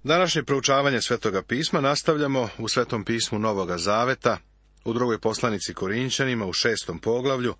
Današnje proučavanje Svetoga pisma nastavljamo u Svetom pismu Novoga Zaveta, u drugoj poslanici Korinćanima, u 6. poglavlju,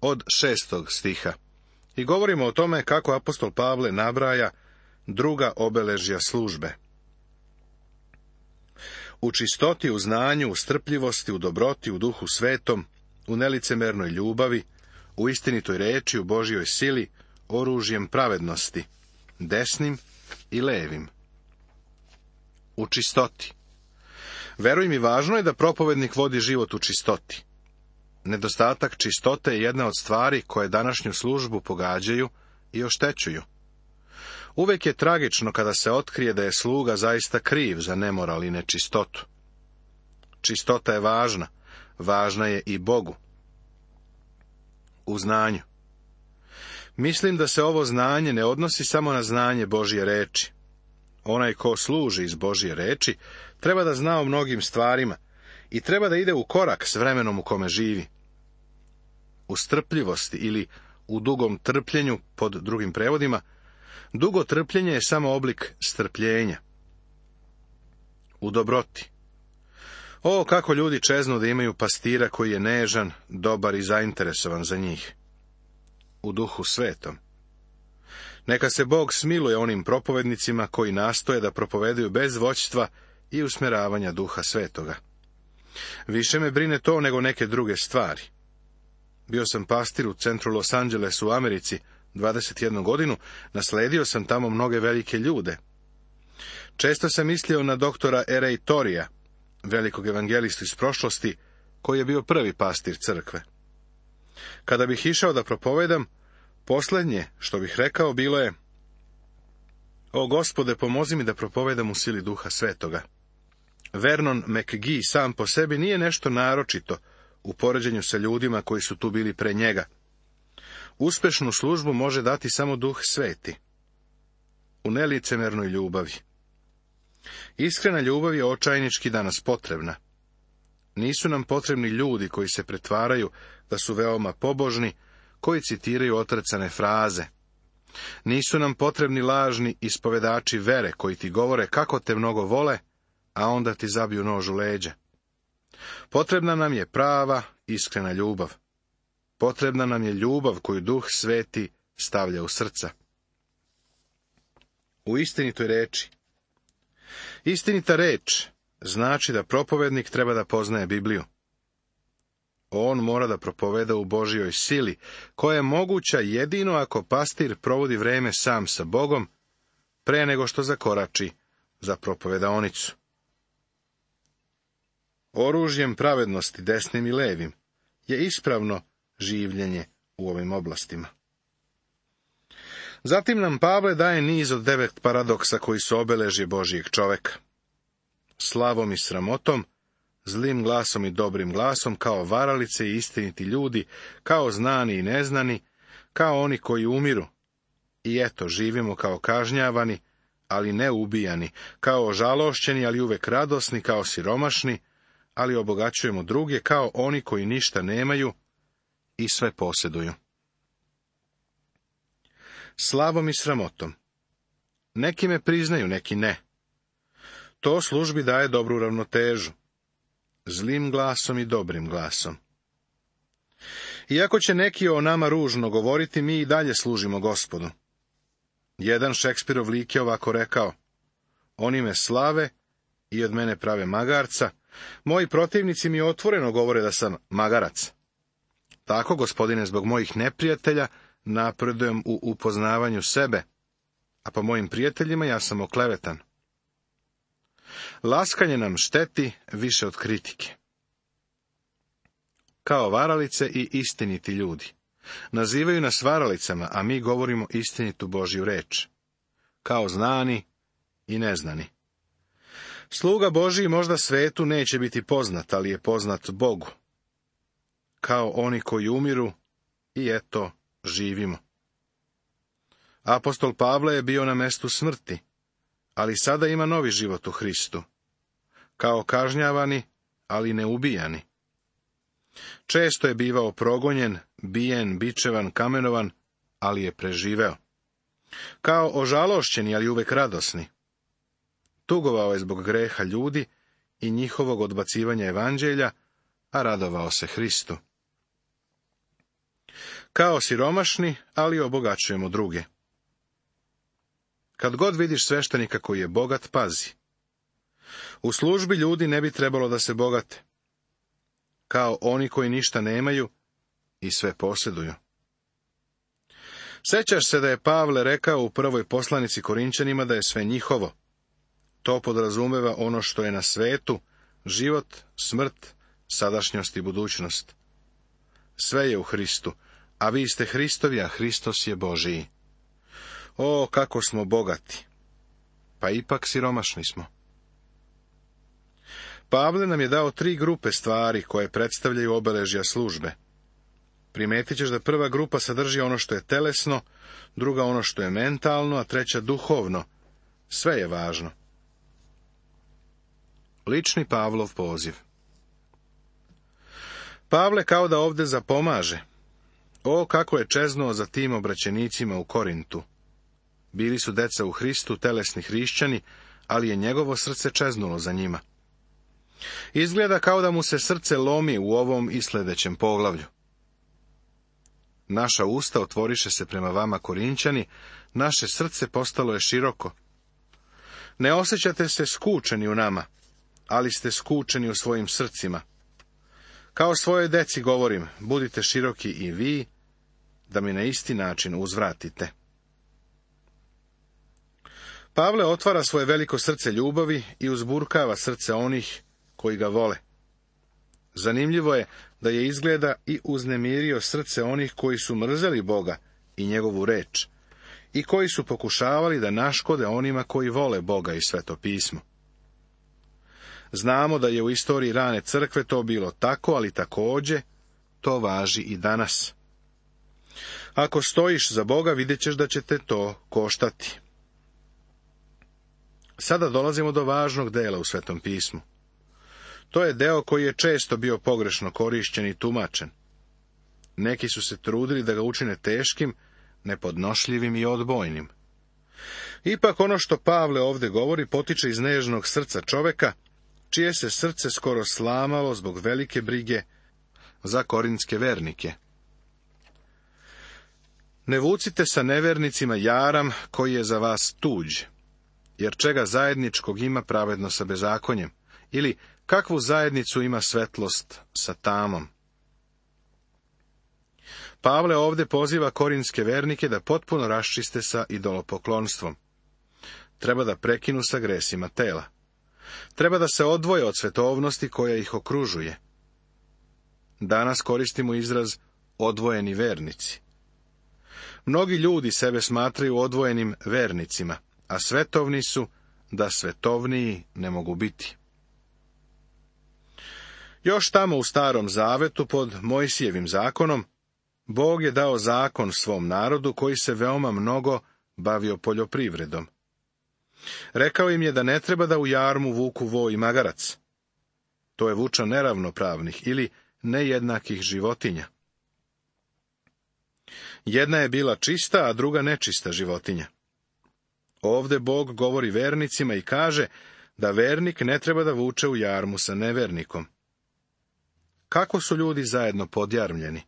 od 6. stiha. I govorimo o tome kako apostol Pavle nabraja druga obeležja službe. U čistoti, u znanju, u strpljivosti, u dobroti, u duhu svetom, u nelicemernoj ljubavi, u istinitoj reči, u Božjoj sili, oružjem pravednosti, desnim i levim. U čistoti. Veruj mi, važno je da propovednik vodi život u čistoti. Nedostatak čistote je jedna od stvari koje današnju službu pogađaju i oštećuju. Uvek je tragično kada se otkrije da je sluga zaista kriv za nemoral i nečistotu. Čistota je važna, važna je i Bogu. U znanju. Mislim da se ovo znanje ne odnosi samo na znanje Božje reči. Onaj ko služi iz Božje reči treba da zna o mnogim stvarima i treba da ide u korak s vremenom u kome živi. U strpljivosti ili u dugom trpljenju, pod drugim prevodima, dugo trpljenje je samo oblik strpljenja. U dobroti. O, kako ljudi čeznu da imaju pastira koji je nežan, dobar i zainteresovan za njih. U duhu svetom. Neka se Bog smiluje onim propovednicima koji nastoje da propovedaju bez vođstva i usmjeravanja duha svetoga. Više me brine to nego neke druge stvari. Bio sam pastir u centru Los Angelesu u Americi 21 godinu, nasledio sam tamo mnoge velike ljude. Često sam mislio na doktora R.A. Torija, velikog evangelistu iz prošlosti, koji je bio prvi pastir crkve. Kada bih išao da propovedam, posljednje što bih rekao bilo je: O Gospode, pomozi mi da propovedam u sili duha svetoga. Vernon McGee sam po sebi nije nešto naročito u poređenju sa ljudima koji su tu bili pre njega. Uspešnu službu može dati samo duh sveti. U nelicemernoj ljubavi. Iskrena ljubav je očajnički danas potrebna. Nisu nam potrebni ljudi koji se pretvaraju da su veoma pobožni, koji citiraju otrcane fraze. Nisu nam potrebni lažni ispovedači vere koji ti govore kako te mnogo vole, a onda ti zabiju nož u leđa. Potrebna nam je prava, iskrena ljubav. Potrebna nam je ljubav koju Duh Sveti stavlja u srca. U istinitoj reči. Istinita reč znači da propovednik treba da poznaje Bibliju. On mora da propoveda u Božjoj sili, koja je moguća jedino ako pastir provodi vreme sam sa Bogom, pre nego što zakorači za propovedaonicu. Oružjem pravednosti, desnim i levim, je ispravno življenje u ovim oblastima. Zatim nam Pavle daje niz od 9 paradoksa koji su obeležje Božijeg čoveka. Slavom i sramotom, zlim glasom i dobrim glasom, kao varalice i istiniti ljudi, kao znani i neznani, kao oni koji umiru. I eto, živimo kao kažnjavani, ali ne ubijani, kao ožalošćeni, ali uvek radosni, kao siromašni, ali obogaćujemo druge, kao oni koji ništa nemaju i sve posjeduju. Slavom i sramotom. Neki me priznaju, neki ne. To službi daje dobru ravnotežu. Zlim glasom i dobrim glasom. Iako će neki o nama ružno govoriti, mi i dalje služimo Gospodu. Jedan Šekspirov lik je ovako rekao: Oni me slave i od mene prave magarca, moji protivnici mi otvoreno govore da sam magarac. Tako, Gospodine, zbog mojih neprijatelja napredujem u upoznavanju sebe, a po mojim prijateljima ja sam oklevetan. Laskanje nam šteti više od kritike. Kao varalice i istiniti ljudi. Nazivaju nas varalicama, a mi govorimo istinitu Božju reč. Kao znani i neznani. Sluga Božji možda svetu neće biti poznat, ali je poznat Bogu. Kao oni koji umiru, i eto, živimo. Apostol Pavle je bio na mestu smrti, ali sada ima novi život u Hristu. Kao kažnjavani, ali ne ubijani. Često je bivao progonjen, bijen, bičevan, kamenovan, ali je preživeo. Kao ožalošćeni, ali uvek radosni. tugovao je zbog greha ljudi i njihovog odbacivanja evanđelja, a radovao se Hristu. Kao siromašni, ali obogaćujemo druge. Kad god vidiš sveštenika koji je bogat, pazi. U službi ljudi ne bi trebalo da se bogate, kao oni koji ništa nemaju i sve posjeduju. Sećaš se da je Pavle rekao u prvoj poslanici Korinćanima da je sve njihovo. To podrazumeva ono što je na svetu, život, smrt, sadašnjost i budućnost. Sve je u Hristu, a vi ste Hristovi, a Hristos je Božiji. O, kako smo bogati! Pa ipak siromašni smo. Pavle nam je dao 3 grupe stvari koje predstavljaju obeležja službe. Primetit ćeš da prva grupa sadrži ono što je telesno, druga ono što je mentalno, a treća duhovno. Sve je važno. Lični Pavlov poziv. Pavle kao da ovde zapomaže. O, kako je čeznuo za tim obraćenicima u Korintu. Bili su deca u Hristu, telesni hrišćani, ali je njegovo srce čeznulo za njima. Izgleda kao da mu se srce lomi u ovom i sljedećem poglavlju. Naša usta otvoriše se prema vama, Korinćani, naše srce postalo je široko. Ne osjećate se skučeni u nama, ali ste skučeni u svojim srcima. Kao svojoj deci govorim, budite široki i vi, da mi na isti način uzvratite. Pavle otvara svoje veliko srce ljubavi i uzburkava srce onih koji ga vole. Zanimljivo je da je izgleda i uznemirio srce onih koji su mrzeli Boga i njegovu reč, i koji su pokušavali da naškode onima koji vole Boga i Sveto pismo. Znamo da je u istoriji rane crkve to bilo tako, ali također to važi i danas. Ako stojiš za Boga, vidjet ćeš da će te to koštati. Sada dolazimo do važnog dela u Svetom pismu. To je deo koji je često bio pogrešno korišćen i tumačen. Neki su se trudili da ga učine teškim, nepodnošljivim i odbojnim. Ipak ono što Pavle ovdje govori potiče iz nežnog srca čoveka, čije se srce skoro slamalo zbog velike brige za korinske vernike. Ne vucite sa nevernicima jaram koji je za vas tuđ, jer čega zajedničkog ima pravedno sa bezakonjem, ili kakvu zajednicu ima svetlost sa tamom. Pavle ovdje poziva korinske vernike da potpuno raščiste sa idolopoklonstvom. Treba da prekinu sa gresima tela. Treba da se odvoje od svetovnosti koja ih okružuje. Danas koristimo izraz odvojeni vernici. Mnogi ljudi sebe smatraju odvojenim vernicima, a svetovni su da svetovniji ne mogu biti. Još tamo u Starom Zavetu pod Mojsijevim zakonom, Bog je dao zakon svom narodu koji se veoma mnogo bavio poljoprivredom. Rekao im je da ne treba da u jarmu vuku vo i magarac. To je vuča neravnopravnih ili nejednakih životinja. Jedna je bila čista, a druga nečista životinja. Ovdje Bog govori vernicima i kaže da vernik ne treba da vuče u jarmu sa nevernikom. Kako su ljudi zajedno podjarmljeni?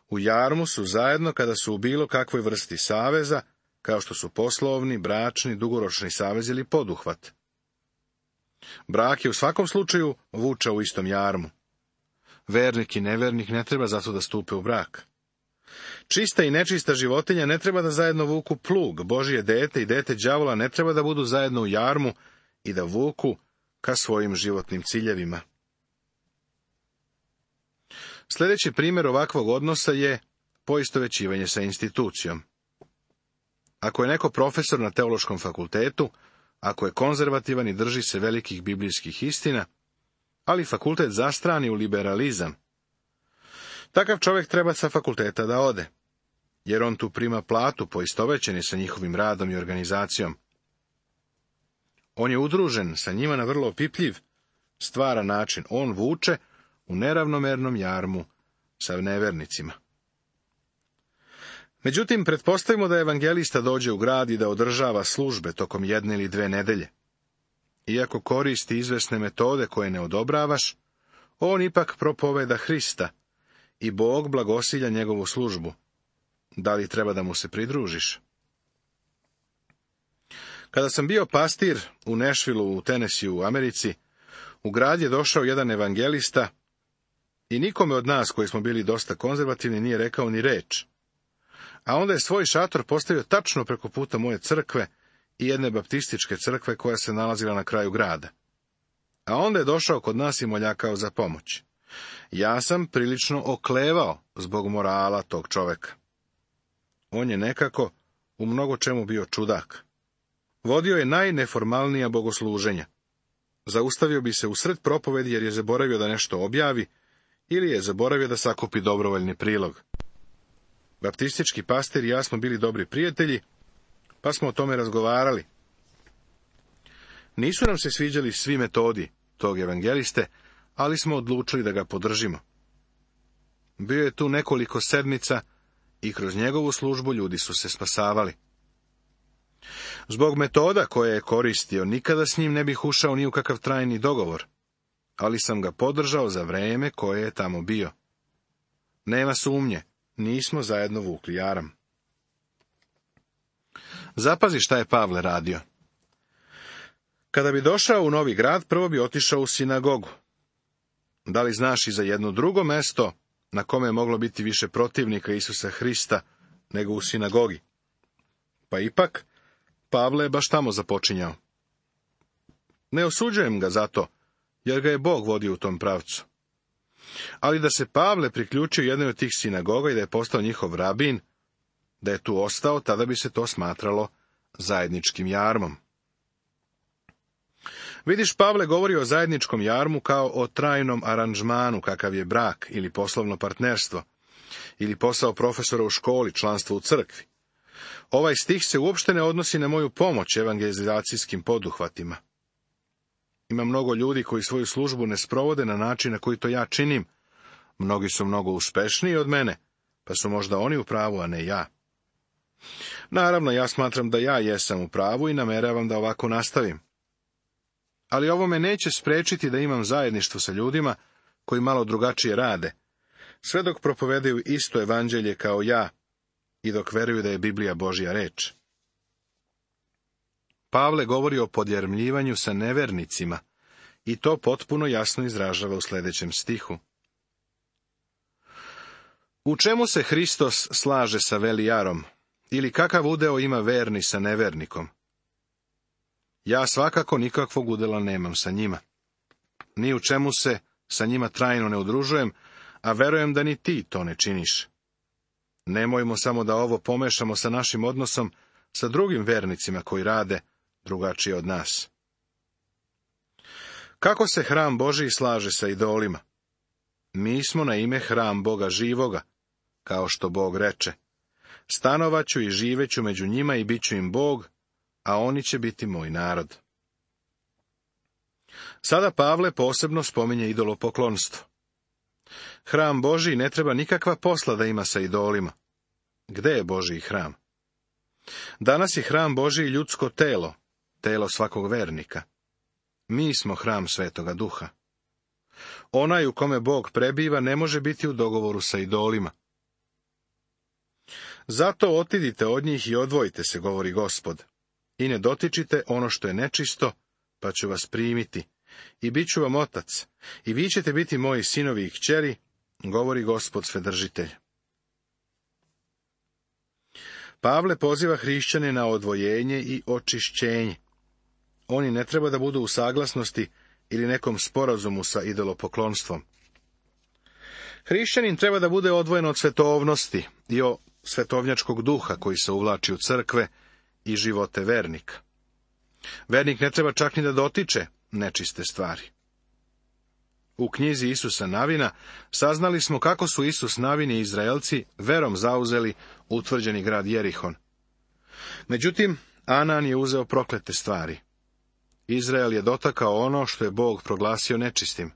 U jarmu su zajedno kada su u bilo kakvoj vrsti saveza, kao što su poslovni, bračni, dugoročni savez ili poduhvat. Brak je u svakom slučaju vuča u istom jarmu. Vernik i nevernik ne treba zato da stupe u brak. Čista i nečista životinja ne treba da zajedno vuku plug, Božje dete i dete đavola ne treba da budu zajedno u jarmu i da vuku ka svojim životnim ciljevima. Sljedeći primjer ovakvog odnosa je poistovećivanje sa institucijom. Ako je neko profesor na teološkom fakultetu, ako je konzervativan i drži se velikih biblijskih istina, ali fakultet zastrani u liberalizam, takav čovjek treba sa fakulteta da ode, jer on tu prima platu poistovećen je sa njihovim radom i organizacijom. On je udružen sa njima na vrlo opipljiv, stvaran način. On vuče u neravnomernom jarmu sa nevernicima. Međutim, pretpostavimo da evangelista dođe u grad i da održava službe tokom 1 ili 2 nedelje. iako koristi izvesne metode koje ne odobravaš, on ipak propoveda Hrista i Bog blagosilja njegovu službu. Da li treba da mu se pridružiš? Kada sam bio pastir u Nashvilleu u Tennesseeu u Americi, u grad je došao jedan evangelista i nikome od nas koji smo bili dosta konzervativni nije rekao ni reč. A onda je svoj šator postavio tačno preko puta moje crkve i jedne baptističke crkve koja se nalazila na kraju grada. A onda je došao kod nas i moljakao za pomoć. Ja sam prilično oklevao zbog morala tog čoveka. On je nekako u mnogo čemu bio čudak. Vodio je najneformalnija bogosluženja. Zaustavio bi se usred propovedi jer je zaboravio da nešto objavi ili je zaboravio da sakupi dobrovoljni prilog. Baptistički pastir i ja smo bili dobri prijatelji, pa smo o tome razgovarali. Nisu nam se sviđali svi metodi tog evangeliste, ali smo odlučili da ga podržimo. Bio je tu nekoliko sedmica i kroz njegovu službu ljudi su se spasavali. Zbog metoda koje je koristio, nikada s njim ne bih ušao ni u kakav trajni dogovor, ali sam ga podržao za vreme koje je tamo bio. Nema sumnje, nismo zajedno vukli jaram. Zapazi šta je Pavle radio. Kada bi došao u novi grad, prvo bi otišao u sinagogu. Da li znaš i za jedno drugo mesto na kome je moglo biti više protivnika Isusa Hrista nego u sinagogi? Pa ipak, Pavle je baš tamo započinjao. Ne osuđujem ga zato, jer ga je Bog vodio u tom pravcu. Ali da se Pavle priključio jednoj od tih sinagoga i da je postao njihov rabin, da je tu ostao, tada bi se to smatralo zajedničkim jarmom. Vidiš, Pavle govori o zajedničkom jarmu kao o trajnom aranžmanu, kakav je brak ili poslovno partnerstvo, ili posao profesora u školi, članstvo u crkvi. Ovaj stih se uopšte ne odnosi na moju pomoć evangelizacijskim poduhvatima. Ima mnogo ljudi koji svoju službu ne sprovode na način na koji to ja činim. Mnogi su mnogo uspešniji od mene, pa su možda oni u pravu, a ne ja. Naravno, ja smatram da ja jesam u pravu i nameravam da ovako nastavim. Ali ovo me neće sprečiti da imam zajedništvo sa ljudima koji malo drugačije rade, sve dok propovedaju isto evanđelje kao ja i dok veruju da je Biblija Božja reč. Pavle govori o podjarmljivanju sa nevernicima i to potpuno jasno izražava u sljedećem stihu. U čemu se Hristos slaže sa velijarom, ili kakav udeo ima verni sa nevernikom? Ja svakako nikakvog udela nemam sa njima. Ni u čemu se sa njima trajno ne udružujem, a verujem da ni ti to ne činiš. Nemojmo samo da ovo pomešamo sa našim odnosom sa drugim vernicima koji rade drugačije od nas. Kako se hram Božji slaže sa idolima? Mi smo na ime hram Boga živoga, kao što Bog reče. Stanovaću i živeću među njima i bit ću im Bog, a oni će biti moj narod. Sada Pavle posebno spominje idolopoklonstvo. Hram Božji ne treba nikakva posla da ima sa idolima. Gde je Božji hram? Danas je hram Božji ljudsko telo, telo svakog vernika. Mi smo hram Svetoga Duha. Onaj u kome Bog prebiva ne može biti u dogovoru sa idolima. Zato otidite od njih i odvojite se, govori Gospod, i ne dotičite ono što je nečisto, pa ću vas primiti, i bit ću vam otac, i vi ćete biti moji sinovi i kćeri, govori Gospod Svedržitelj. Pavle poziva hrišćane na odvojenje i očišćenje. Oni ne treba da budu u saglasnosti ili nekom sporazumu sa idolopoklonstvom. Hrišćanin treba da bude odvojen od svetovnosti i od svetovnjačkog duha koji se uvlači u crkve i živote vernika. Vernik ne treba čak ni da dotiče nečiste stvari. U knjizi Isusa Navina saznali smo kako su Isus Navin i Izraelci verom zauzeli utvrđeni grad Jerihon. Međutim, Anan je uzeo proklete stvari. Izrael je dotakao ono što je Bog proglasio nečistim.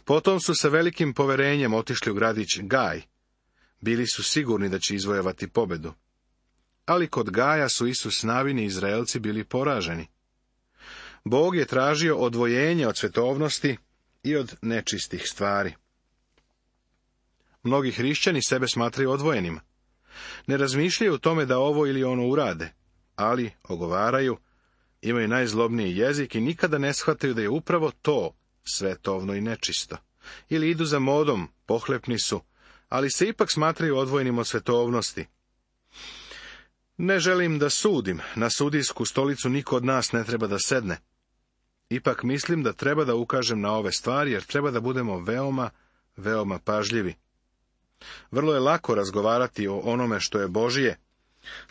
Potom su sa velikim poverenjem otišli u gradić Gaj. Bili su sigurni da će izvojevati pobedu. Ali kod Gaja su Isus Navin i Izraelci bili poraženi. Bog je tražio odvojenje od svetovnosti i od nečistih stvari. Mnogi hrišćani sebe smatraju odvojenima. Ne razmišljaju o tome da ovo ili ono urade, ali ogovaraju, imaju najzlobniji jezik i nikada ne shvataju da je upravo to svetovno i nečisto. Ili idu za modom, pohlepni su, ali se ipak smatraju odvojenim od svetovnosti. Ne želim da sudim, na sudijsku stolicu niko od nas ne treba da sedne. Ipak mislim da treba da ukažem na ove stvari, jer treba da budemo veoma, veoma pažljivi. Vrlo je lako razgovarati o onome što je Božije,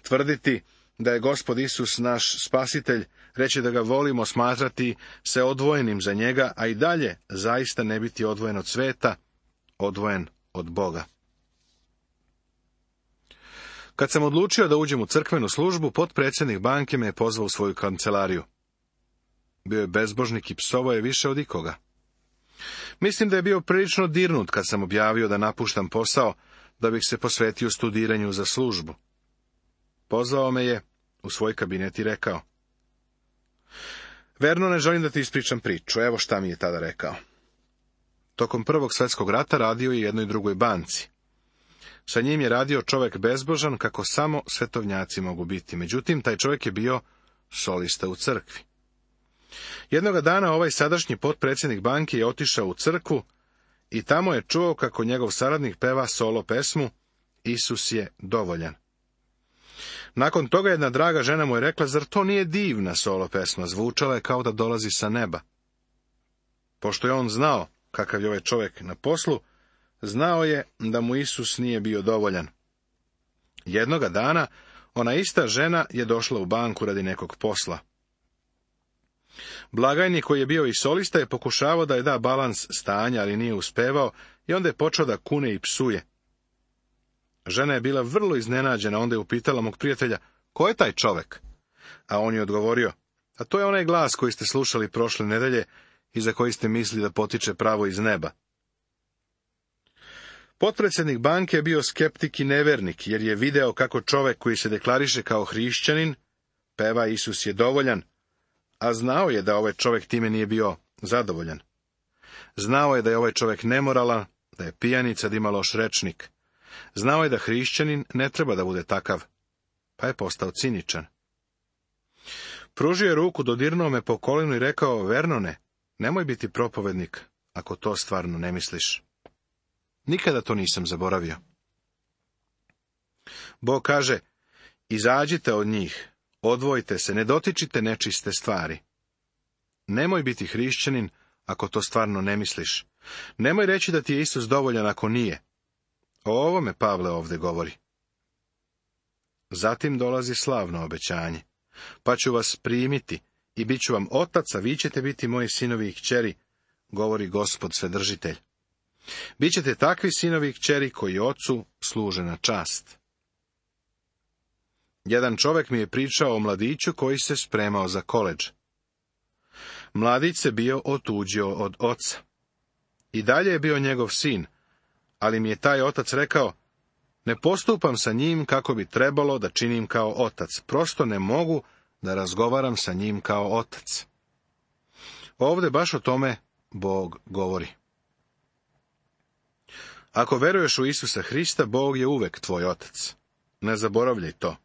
tvrditi da je Gospod Isus naš spasitelj, reći da ga volimo, smatrati se odvojenim za njega, a i dalje zaista ne biti odvojen od sveta, odvojen od Boga. Kad sam odlučio da uđem u crkvenu službu, potpredsjednik banke me je pozvao u svoju kancelariju. Bio je bezbožnik i psovao je više od ikoga. Mislim da je bio prilično dirnut kad sam objavio da napuštam posao, da bih se posvetio studiranju za službu. Pozvao me je u svoj kabinet i rekao: Verno, ne želim da ti ispričam priču, evo šta mi je tada rekao. Tokom Prvog svjetskog rata radio je jednoj drugoj banci. Sa njim je radio čovjek bezbožan, kako samo svetovnjaci mogu biti. Međutim, taj čovjek je bio solista u crkvi. Jednoga dana ovaj sadašnji potpredsjednik banke je otišao u crkvu i tamo je čuo kako njegov saradnik peva solo pesmu Isus je dovoljan. Nakon toga jedna draga žena mu je rekla: zar to nije divna solo pesma, zvučala je kao da dolazi sa neba. Pošto je on znao kakav je ovaj čovjek na poslu, znao je da mu Isus nije bio dovoljan. Jednoga dana ona ista žena je došla u banku radi nekog posla. Blagajnik, koji je bio i solista, je pokušavao da je da balans stanja, ali nije uspevao i onda je počeo da kune i psuje. Žena je bila vrlo iznenađena, onda je upitala mog prijatelja: ko je taj čovek? A on je odgovorio: a to je onaj glas koji ste slušali prošle nedelje i za koji ste mislili da potiče pravo iz neba. Potpredsjednik banke je bio skeptik i nevernik, jer je video kako čovek koji se deklariše kao hrišćanin peva Isus je dovoljan, a znao je da ovaj čovjek time nije bio zadovoljan. Znao je da je ovaj čovjek nemoralan, da je pijanica, da ima loš rečnik. Znao je da hrišćanin ne treba da bude takav, pa je postao ciničan. Pružio je ruku, dodirnuo me po kolinu i rekao: Vernone, nemoj biti propovednik, ako to stvarno ne misliš. Nikada to nisam zaboravio. Bog kaže: izađite od njih, odvojite se, ne dotičite nečiste stvari. Nemoj biti hrišćanin ako to stvarno ne misliš. Nemoj reći da ti je Isus dovoljan ako nije. O ovome Pavle ovdje govori. Zatim dolazi slavno obećanje. Pa ću vas primiti i bit ću vam otac, a vi ćete biti moji sinovi i kćeri, govori Gospod Svedržitelj. Bićete takvi sinovi i kćeri koji ocu služe na čast. Jedan čovjek mi je pričao o mladiću koji se spremao za koledž. Mladić se bio otuđio od oca. I dalje je bio njegov sin, ali mi je taj otac rekao: ne postupam sa njim kako bi trebalo da činim kao otac, prosto ne mogu da razgovaram sa njim kao otac. Ovdje baš o tome Bog govori. Ako veruješ u Isusa Hrista, Bog je uvek tvoj otac. Ne zaboravljaj to.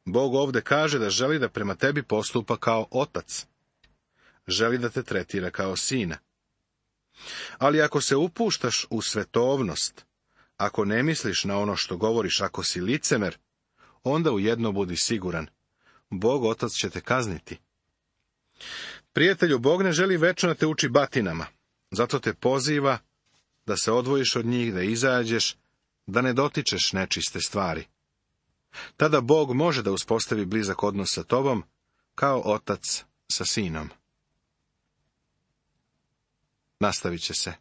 Bog ovdje kaže da želi da prema tebi postupa kao otac. Želi da te tretira kao sina. Ali ako se upuštaš u svetovnost, ako ne misliš na ono što govoriš, ako si licemer, onda u jedno budi siguran: Bog otac će te kazniti. Prijatelju, Bog ne želi večno da te uči batinama, zato te poziva da se odvojiš od njih, da izađeš, da ne dotičeš nečiste stvari. Tada Bog može da uspostavi blizak odnos sa tobom, kao otac sa sinom. Nastavit će se.